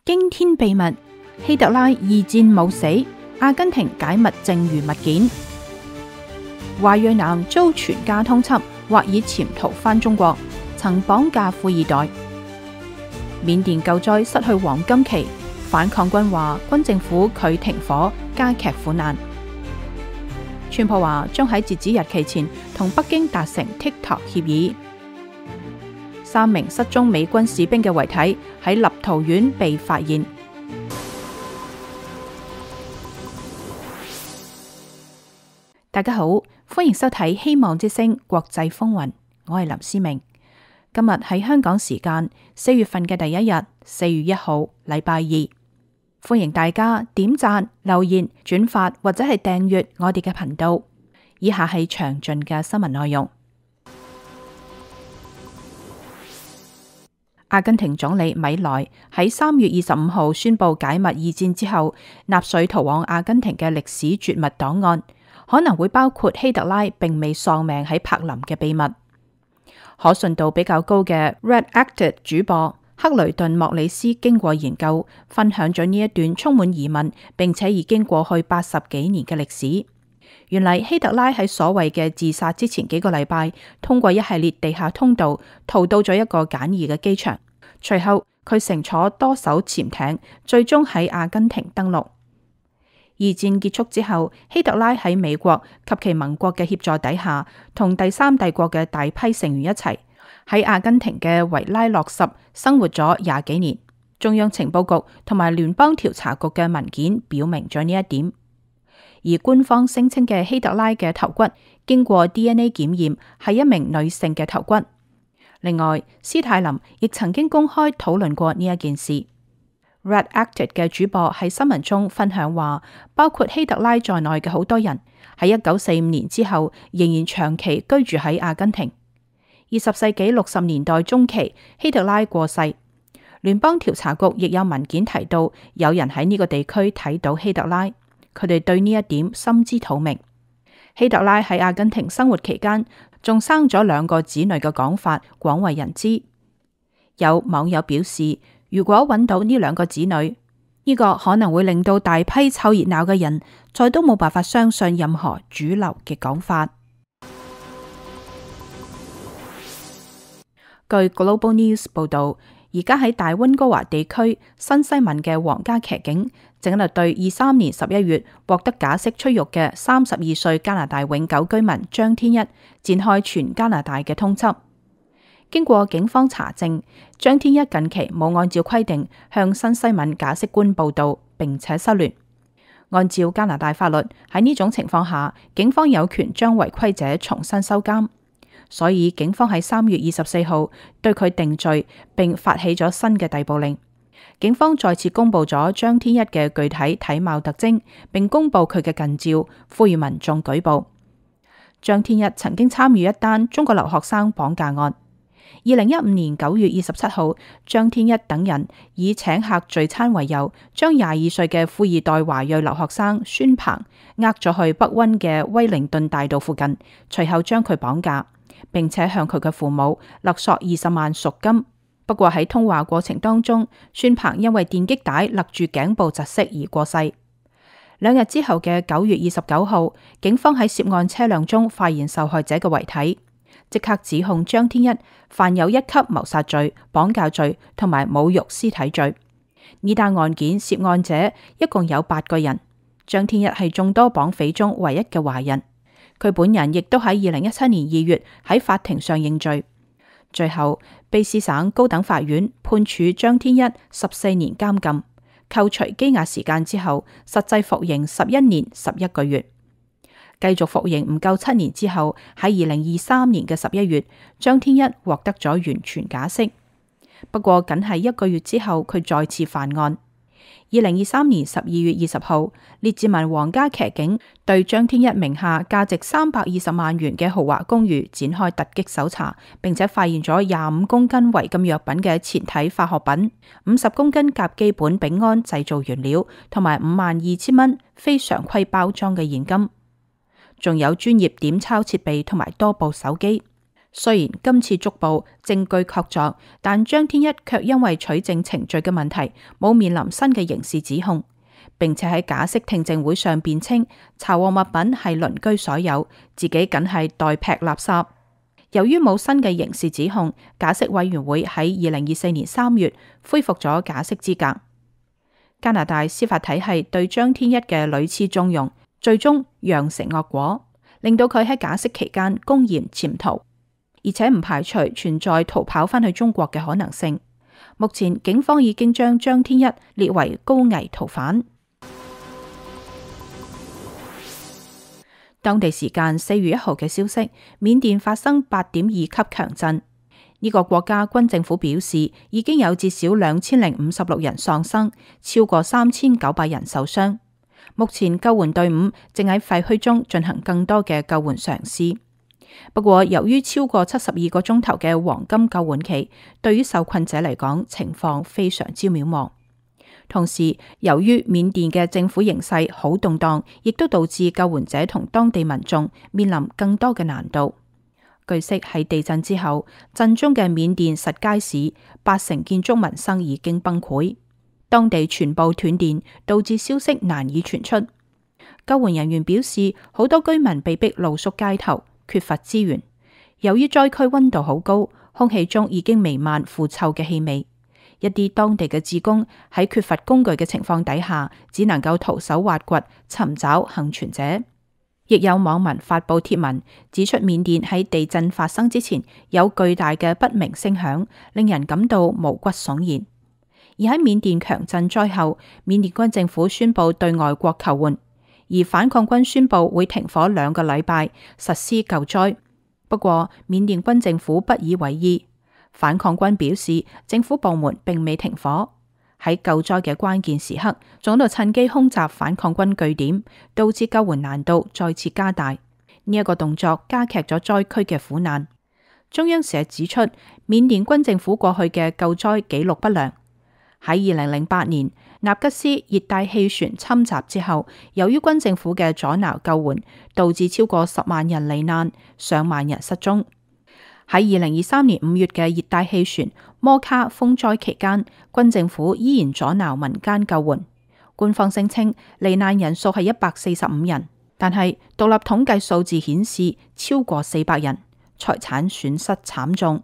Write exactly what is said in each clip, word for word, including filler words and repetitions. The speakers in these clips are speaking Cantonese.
驚天秘密，希特拉二戰冇死，阿根廷解密剩餘物件。華裔男遭全家通緝，或已潛逃返中國，曾綁架富二代。緬甸救災失去黃金期，反抗軍話軍政府拒停火，加劇苦難。川普話將喺截止日期前同北京達成 TikTok 協議。三名失蹤美軍士兵嘅遺體喺立陶宛被發現。大家好，歡迎收睇《希望之聲》國際風雲，我係林思明。今日係香港時間四月份嘅第一日，四月一號，禮拜二。歡迎大家點讚、留言、轉發或者係訂閱我哋嘅頻道。以下係詳盡嘅新聞內容。阿根廷總理米萊喺三月二十五號宣布解密二戰之後納粹逃往阿根廷嘅歷史絕密檔案，可能會包括希特拉並未喪命喺柏林嘅秘密。可信度比較高嘅 Redacted 主播克雷頓莫里斯經過研究，分享咗呢一段充滿疑問並且已經過去八十幾年嘅歷史。原嚟希特拉喺所謂嘅自殺之前幾個禮拜，通過一系列地下通道逃到咗一個簡易嘅機場。隨後佢乘坐多艘潛艇，最終喺阿根廷登陸。二戰結束之後，希特拉喺美國及其盟國嘅協助底下，同第三帝國嘅大批成員一齊喺阿根廷嘅維拉諾什生活咗廿幾年。中央情報局同埋聯邦調查局嘅文件表明咗呢一點。而官方聲稱嘅希特拉嘅頭骨經過 D N A 檢驗係一名女性嘅頭骨。另外，斯泰林亦曾經公開討論過呢一件事。Redacted 嘅主播喺新聞中分享話，包括希特拉在內嘅好多人喺一九四五年之後仍然長期居住喺阿根廷。二十世紀六十年代中期，希特拉過世。聯邦調查局亦有文件提到，有人喺呢個地區睇到希特拉，佢哋對呢一點心知肚明。希特拉喺阿根廷生活期間，仲生咗兩個子女嘅講法廣為人知。有網友表示，如果揾到呢兩個子女，呢個可能會令到大批湊熱鬧嘅人再都冇辦法相信任何主流嘅講法。據 Global News 報道，而家喺大溫哥華地區新西文嘅皇家騎警正喺度對二三年十一月獲得假釋出獄嘅三十二歲加拿大永久居民張天一展開全加拿大嘅通緝。經過警方查證，張天一近期冇按照規定向新西文假釋官報到，並且失聯。按照加拿大法律，喺呢種情況下，警方有權將違規者重新收監。所以警方喺三月二十四號對佢定罪，並發起咗新嘅逮捕令。警方再次公布咗張天一嘅具體體貌特徵，並公布佢嘅近照，呼籲民眾舉報。張天一曾經參與一單中國留學生綁架案。二零一五年九月二十七號，張天一等人以請客聚餐為由，將廿二歲嘅富二代華裔留學生孫鵬呃咗去北溫嘅威靈頓大道附近，隨後將佢綁架，並且向佢嘅父母勒索二十萬贖金。不過喺通話過程當中，孫鵬因為電擊帶勒住頸部窒息而過世。兩日之後嘅九月二十九號，警方喺涉案車輛中發現受害者嘅遺體，即刻指控張天一犯有一級謀殺罪、綁架罪同埋侮辱屍體罪。呢單案件涉案者一共有八個人，張天一係眾多綁匪中唯一嘅華人。佢本人亦都喺二零一七年二月喺法庭上認罪。最後，卑詩省高等法院判處張天一十四年監禁，扣除羈押時間之後，實際服刑十一年十一個月。繼續服刑唔夠七年之後，喺二零二三年嘅十一月，張天一獲得咗完全假釋。不過，僅係一個月之後，佢再次犯案。二零二三年十二月二十號，列治文皇家騎警對張天一名下價值三百二十萬元嘅豪華公寓展開突擊搜查，並且發現咗廿五公斤違禁藥品嘅前體化學品、五十公斤甲基苯丙胺製造原料，同埋五萬二千蚊非常規包裝嘅現金，仲有專業點鈔設備同埋多部手機。雖然今次捉捕證據確鑿，但張天一卻因為取證程序嘅問題，冇面臨新嘅刑事指控，並且喺假釋聽證會上辯稱查獲物品係鄰居所有，自己僅係代劈垃圾。由於冇新嘅刑事指控，假釋委員會喺二零二四年三月恢復咗假釋資格。加拿大司法體系對張天一嘅屢次縱容，最終釀成惡果，令到佢喺假釋期間公然潛逃，而且唔排除存在逃跑返去中國嘅可能性。目前警方已經將張天一列為高危逃犯。當地時間四月一號嘅消息，緬甸發生八點二級強震。呢個國家軍政府表示，已經有至少兩千零五十六人喪生，超過三千九百人受傷。目前救援隊伍正喺廢墟中進行更多嘅救援嘗試。不過，由於超過七十二個鐘頭嘅黃金救援期，對於受困者嚟講，情況非常之渺茫。同時，由於緬甸嘅政府形勢好動盪，亦都導致救援者同當地民眾面臨更多嘅難度。據悉，喺地震之後，震中嘅緬甸實皆市八成建築民生已經崩潰，當地全部斷電，導致消息難以傳出。救援人員表示，好多居民被逼露宿街頭，缺乏資源。由於災區溫度好高，空氣中已經彌漫腐臭嘅氣味。一啲當地嘅志工喺缺乏工具嘅情況底下，只能夠徒手挖掘，尋找幸存者。亦有網民發布貼文，指出緬甸喺地震發生之前有巨大嘅不明聲響，令人感到毛骨悚然。而喺緬甸強震災後，緬甸軍政府宣布對外國求援，而反抗軍宣布會停火兩個禮拜，實施救災。不過，緬甸軍政府不以為意。反抗軍表示，政府部門並未停火，喺救災嘅關鍵時刻，仲喺度趁機空襲反抗軍據點，導致救援難度再次加大。呢、這、一個動作加劇咗災區嘅苦難。中央社指出，緬甸軍政府過去嘅救災記錄不良。喺二零零八年納吉斯熱帶氣旋侵襲之後，由於軍政府嘅阻撓救援，導致超過十萬人罹難，上萬人失蹤。喺二零二三年五月嘅熱帶氣旋摩卡風災期間，軍政府依然阻撓民間救援。官方聲稱罹難人數係一百四十五人，但係獨立統計數字顯示超過四百人，財產損失慘重。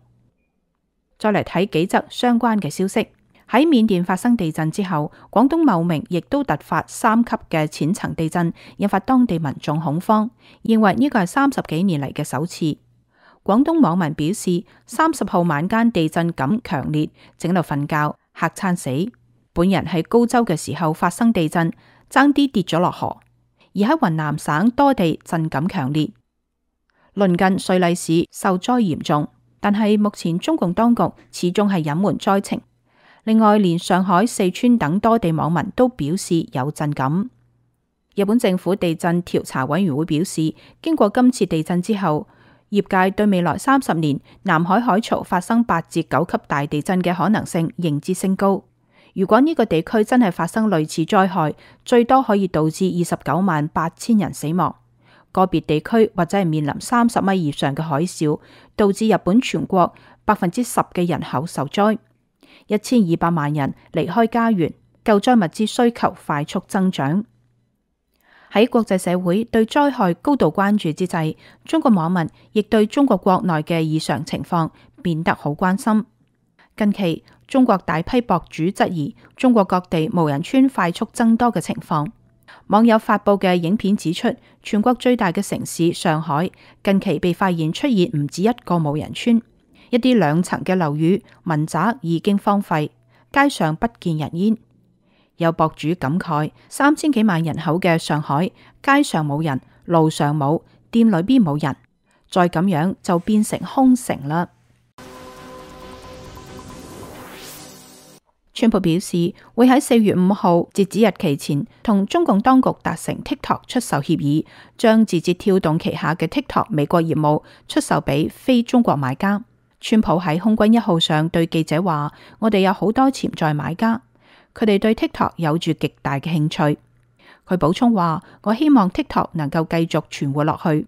再嚟睇幾則相關嘅消息。喺緬甸發生地震之後，廣東茂名亦都突發三級嘅淺層地震，引發當地民眾恐慌，認為呢個係三十幾年嚟嘅首次。廣東網民表示，三十號晚間地震感強烈，正喺度瞓覺，嚇餐死。本人喺高州嘅時候發生地震，爭啲跌咗落河。而喺雲南省多地震感強烈，鄰近瑞麗市受災嚴重，但係目前中共當局始終係隱瞞災情。另外，連上海、四川等多地網民都表示有震感。日本政府地震調查委員會表示，經過今次地震之後，業界對未來三十年南海海槽發生八至九級大地震嘅可能性認知升高。如果呢個地區真係發生類似災害，最多可以導致二十九萬八千人死亡。個別地區或者係面臨三十米以上嘅海嘯，導致日本全國百分之十嘅人口受災，一千二百萬人離開家園，救災物資需求快速增長。喺國際社會對災害高度關注之際，中國網民亦對中國國內嘅異常情況變得好關心。近期，中國大批博主質疑中國各地無人村快速增多嘅情況。網友發布嘅影片指出，全國最大嘅城市上海近期被發現出現唔止一個無人村，一啲兩層嘅樓宇民宅已經荒廢，街上不見人煙。有博主感慨，三千幾萬人口嘅上海，街上冇人，路上冇，店裏邊冇人，再咁樣就變成空城啦。川普表示會喺四月五號截止日期前同中共當局達成 TikTok 出售協議，將字節跳動旗下嘅 TikTok 美國業務出售俾非中國買家。川普喺空軍一號上對記者話：我哋有好多潛在買家。佢哋對 TikTok 有住極大嘅興趣。佢補充話：我希望 TikTok 能夠繼續存活落去。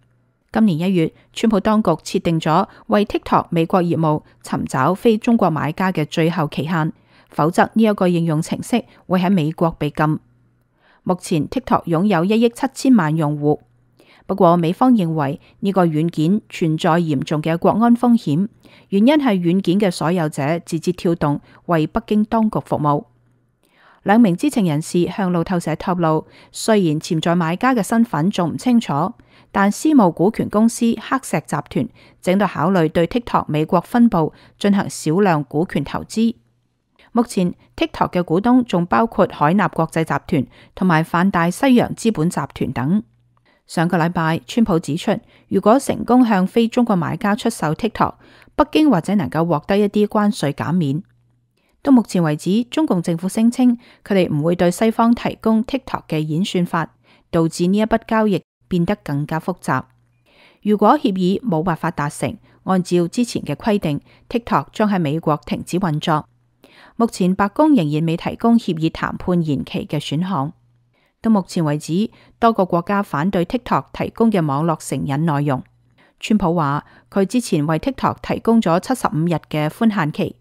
今年一月，川普當局設定咗為 TikTok 美國業務尋找非中國買家嘅最後期限，否則呢一個應用程式會喺美國被禁。目前 TikTok 擁有一億七千萬用戶，不過美方認為呢個軟件存在嚴重嘅國安風險，原因係軟件嘅所有者字節跳動為北京當局服務。兩名知情人士向路透社透露，雖然潛在買家嘅身份仲唔清楚，但私募股權公司黑石集團正在考慮對 TikTok 美國分部進行少量股權投資。目前 TikTok 嘅股東仲包括海納國際集團同埋泛大西洋資本集團等。上個禮拜，川普指出，如果成功向非中國買家出售 TikTok， 北京或者能夠獲得一啲關稅減免。到目前為止，中共政府聲稱佢哋唔會對西方提供 TikTok 嘅演算法，導致呢一筆交易變得更加複雜。如果協議冇辦法達成，按照之前嘅規定 ，TikTok 將喺美國停止運作。目前白宮仍然未提供協議談判延期嘅選項。到目前為止，多個國家反對 TikTok 提供嘅網絡成癮內容。川普話佢之前為 TikTok 提供咗七十五日嘅寬限期。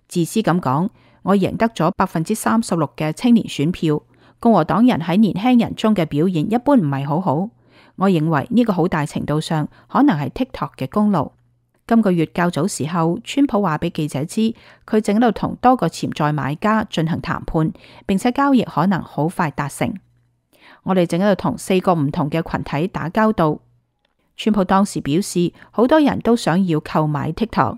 自私咁講，我贏得咗百分之三十六嘅青年選票。共和黨人喺年輕人中嘅表現一般唔係好好。我認為呢個好大程度上可能係 TikTok 嘅功勞。今個月較早時候，川普話俾記者知，佢正喺度同多個潛在買家進行談判，並且交易可能好快達成。我哋正喺度同四個唔同嘅群體打交道。川普當時表示，好多人都想要購買 TikTok。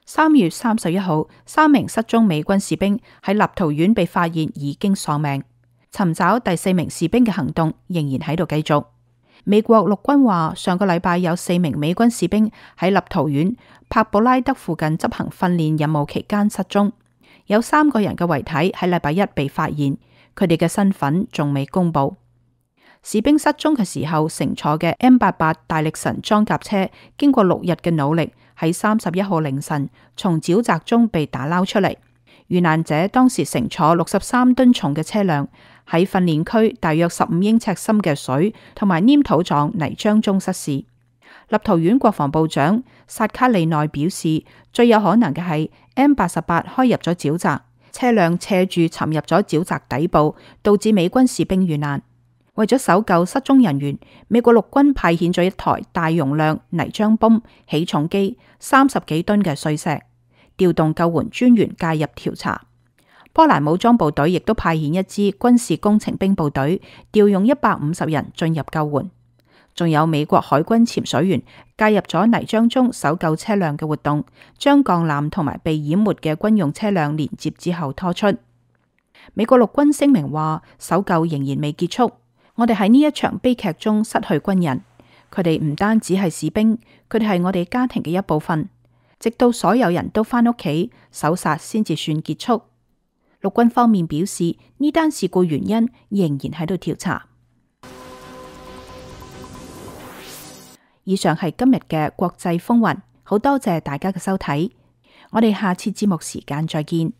三月三十一號，三名失蹤美軍士兵喺立陶宛被發現已經喪命，尋找第四名士兵嘅行動仍然喺度繼續。美國陸軍話，上個禮拜有四名美軍士兵喺立陶宛帕布拉德附近執行訓練任務期間失蹤，有三個人嘅遺體喺禮拜一被發現，佢哋嘅身份仲未公布。士兵失蹤嘅時候乘坐嘅 M 八八大力神裝甲車，經過六日嘅努力，喺三十一號凌晨從沼澤中被打撈出嚟。遇難者當時乘坐六十三噸重嘅車輛，喺訓練區大約十五英尺深嘅水同埋黏土狀泥漿中失事。立陶宛國防部長薩卡利內表示，最有可能嘅係 M 八十八開入咗沼澤，車輛斜住沉入咗沼澤底部，導致美軍士兵遇難。為咗搜救失蹤人員，美國陸軍派遣咗一台大容量泥漿泵、起重機、三十幾噸嘅碎石，調動救援專員介入調查。波蘭武裝部隊亦都派遣一支軍事工程兵部隊，調用一百五十人進入救援。仲有美國海軍潛水員介入咗泥漿中搜救車輛嘅活動，將鋼纜同埋被淹沒嘅軍用車輛連接之後拖出。美國陸軍聲明話，搜救仍然未結束。我哋喺呢一場悲劇中失去軍人，佢哋唔單止係士兵，佢哋係我哋家庭嘅一部分。直到所有人都返屋企，搜殺先至算結束。陸軍方面表示，呢單事故原因仍然喺度調查。以上係今日嘅國際風雲，好多謝大家嘅收睇，我哋下次節目時間再見。